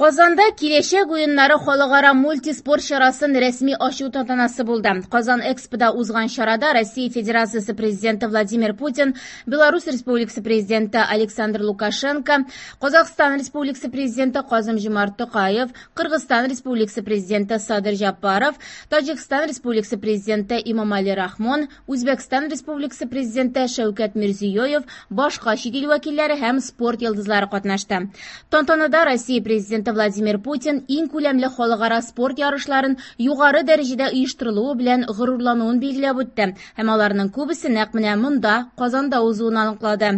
Казанда Киләчәк уеннары халыкара мультиспорт чарасын рәсми ачу тантанасы булды. Казан Экспода узган чарада Россия Федерациясе Президенты Владимир Путин, Беларусь Республикасы Президенты Александр Лукашенко, Казахстан Республикасы Президенты Казым-Жомарт Токаев, Кыргызстан Республикасы Президенты Садыр Жапаров, Таҗикстан Республикасы Президенты Имомали Рахмон, Үзбәкстан Республикасы Президенты Шәүкәт Мирзиёев, башка чит ил вәкилләре һәм спорт йолдызлары катнашты. Тантанада Россия Президенты Владимир Путин иң күләмле халыкара спорт ярышларын югары дәрәҗәдә оештырылуы белән горурлануын билгеләп үтте һәм аларның күбесе нәкъ менә монда, Казанда узуын аныклады.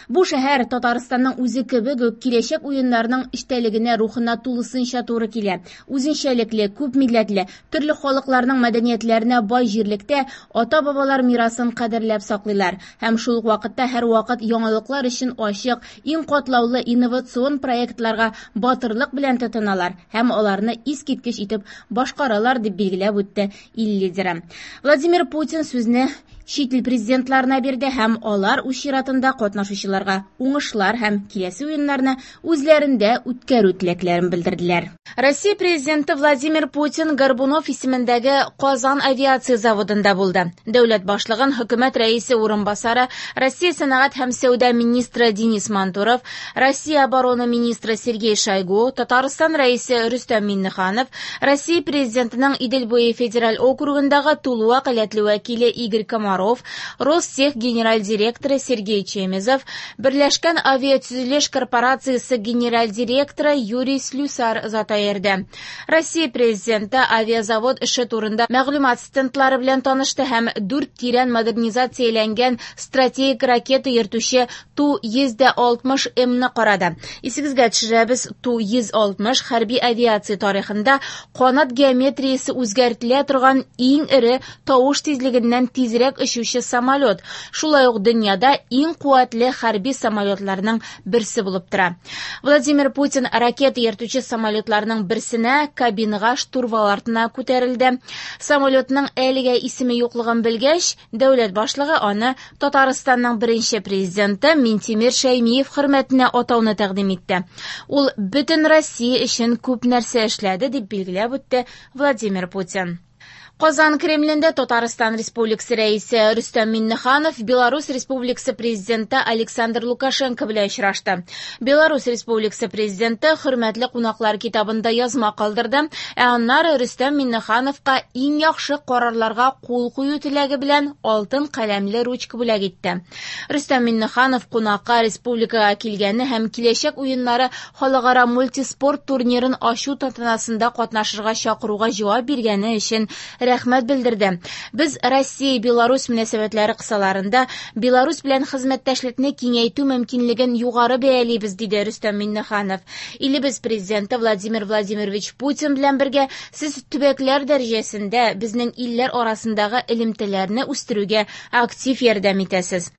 Бу шәһәр Татарстанның үзе кебек үк киләчәк уеннарының эчтәлегенә, рухына тулысынча туры килә. Үзенчәлекле, күп милләтле, төрле халыкларның мәдәниятләренә бай җирлектә ата-бабалар мирасын кадерләп саклыйлар һәм шул ук вакытта һәрвакыт яңалыклар өчен ачык, иң катлаулы инновацион проектларга батырлык белән тотыналар һәм аларны искиткеч итеп башкаралар, дип билгеләп үтте ил лидеры. Владимир Путин сүзне чит ил президентларына бирде һәм алар үз чиратында катнашучыларга уңышлар һәм киләсе уеннарны үзләрендә үткәрү теләкләрен белдерделәр. Россия Президенты Владимир Путин Горбунов исемендәге Казан авиация заводында булды. Дәүләт башлыгын хөкүмәт рәисе урынбасары, Россия сәнәгать һәм сәүдә министры Денис Мантуров, Россия оборона министры Сергей Шойгу, Татарстан рәисе Рөстәм Миңнеханов, Россия Президентының Идел буе федераль округындагы тулы вәкаләтле вәкиле Игорь Комаров, Ростех генераль директоры Сергей Чемезов, Берләшкән авиатөзелеш корпорациясе генераль директоры Юрий Слюсар озата йөрде. Россия Президенты авиазавод эше турында мәгълүмат стендлары белән танышты һәм дүрт тирән модернизацияләнгән стратегик ракета йөртүче Ту-160М-ны карады. Исегезгә төшерәбез, Ту-160 хәрби авиация тарихында канат геометриясе үзгәртелә торган иң эре тавыш тизлегеннән тизрәк очучы самолет, шулай ук дөньяда иң куәтле хәрби самолетларның берсе булып тора. Владимир Путин ракета йөртүче самолетларның берсенә кабинага штурвал артына күтәрелде. Самолетның әлегә исеме юклыгын белгәч, дәүләт башлыгы аны Татарстанның беренче президенты Минтимер Шәймиев хөрмәтенә атауны тәкъдим итте. Ул бөтен Россия өчен күп нәрсә эшләде, дип билгеләп үтте Владимир Путин. Казан Кремлендә Татарстан Республикасы Рәисе Рөстәм Миңнеханов Беларусь Республикасы Президенты Александр Лукашенко белән очрашты. Беларусь Республикасы Президенты хөрмәтле кунаклар китабында язма калдырды, ә аннары Рөстәм Миңнехановка иң яхшы карарларга кул кую теләге белән алтын каләмле ручка бүләк итте. Рөстәм Миңнеханов кунакка республикага килгәне һәм Киләчәк уеннары халыкара мультиспорт турнирын ачу тантанасында катнашырга чакыруга җавап биргәне өчен рәхмәт белдерде. Без Россия-Беларусь мөнәсәбәтләре кысаларында Беларусь белән хезмәттәшлекне киңәйтү мөмкинлеген югары бәялибез, диде Рөстәм Миңнеханов. Илебез Президенты Владимир Владимирович Путин белән бергә сез төбәкләр дәрәҗәсендә безнең илләр арасындагы элемтәләрне үстерүгә актив ярдәм итәсез.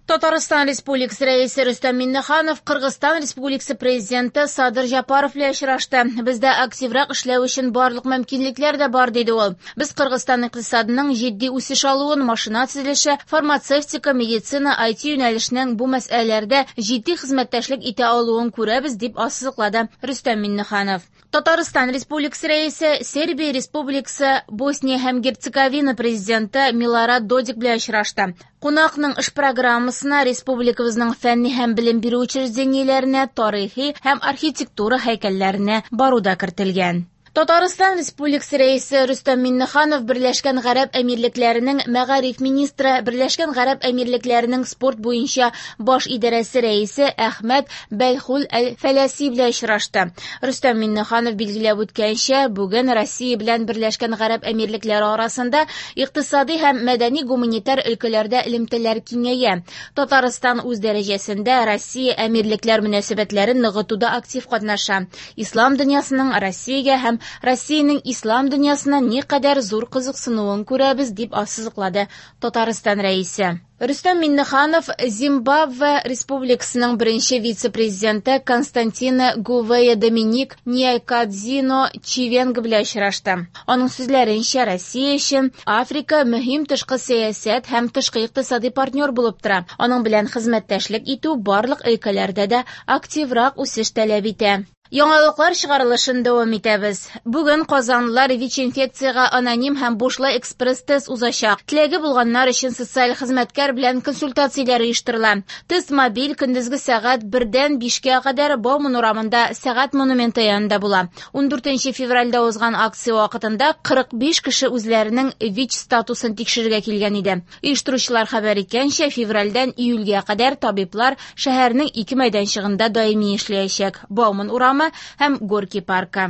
Татарстан Республикасы Рәисе Рөстәм Миңнеханов Кыргызстан Республикасы Президенты Садыр Жапаров белән очрашты. Бездә активрак эшләү өчен барлык мөмкинлекләр дә бар, диде ул. Без Кыргызстан икътисадының җитди үсеш алуын, машина төзелеше, фармацевтика, медицина, IT юнәлешенең бу мәсьәләләрдә җитди хезмәттәшлек итә алуын күрәбез, дип ассызыклады Рөстәм Миңнеханов. Татарстан Республикасы Рәисе Сербия Республикасы Босния һәм Герцеговина президенты Милорад Додик белән очрашты. Кунакның эш программасына республикабызның фәнни һәм белем бирү учреждениеләренә, тарихи һәм архитектура һәйкәлләренә бару да кертелгән. Татарстан Республикасы Рәисе Рөстәм Миңнеханов Берләшкән Гарәп Әмирлекләренең мәгариф министры, Берләшкән Гарәп Әмирлекләренең спорт буенча баш идарәсе рәисе Әхмәт Бәлхул әл-Фәләси белән очрашты. Рөстәм Миңнеханов билгеләп үткәнчә, бүген Россия белән Берләшкән Гарәп Әмирлекләре арасында икътисади һәм мәдәни-гуманитар өлкәләрдә элемтәләр киңәя. Татарстан үз дәрәҗәсендә Россия-Әмирлекләр мөнәсәбәтләрен ныгытуда актив катнаша. Ислам дөньясының Россиягә һәм Россиянең ислам дөньясына никадәр зур кызыксынуын күрәбез, дип ассызыклады Татарстан Рәисе. Рөстәм Миңнеханов Зимбабве Республикасының беренче вице-президенты Константино Гувея Доминик Ньякадзино Чивенга белән очрашты. Аның сүзләренчә, Россия өчен Африка мөһим тышкы сәясәт һәм тышкы икътисади партнер булып тора. Аның белән хезмәттәшлек итү барлык өлкәләрдә дә активрак үсеш таләп итә. Яңалыклар чыгарылышын дәвам итәбез. Бүген казанлылар ВИЧ-инфекциягә аноним һәм бушлай экспресс-тест узачак. Теләге булганнар өчен социаль хезмәткәр белән консультацияләр оештырыла. Тест мобиль көндезге сәгать 1-дән 5-кә кадәр Бауман урамында Сәгать монументы янында була. 14 февральдә узган акция вакытында 45 кеше үзләренең ВИЧ статусын тикшерергә килгән иде. Оештыручылар хәбәр иткәнчә, февральдән июльгә кадәр табиблар шәһәрнең ике мәйданчыгында даими эшләячәк. Бауман урамы һәм Горький паркы.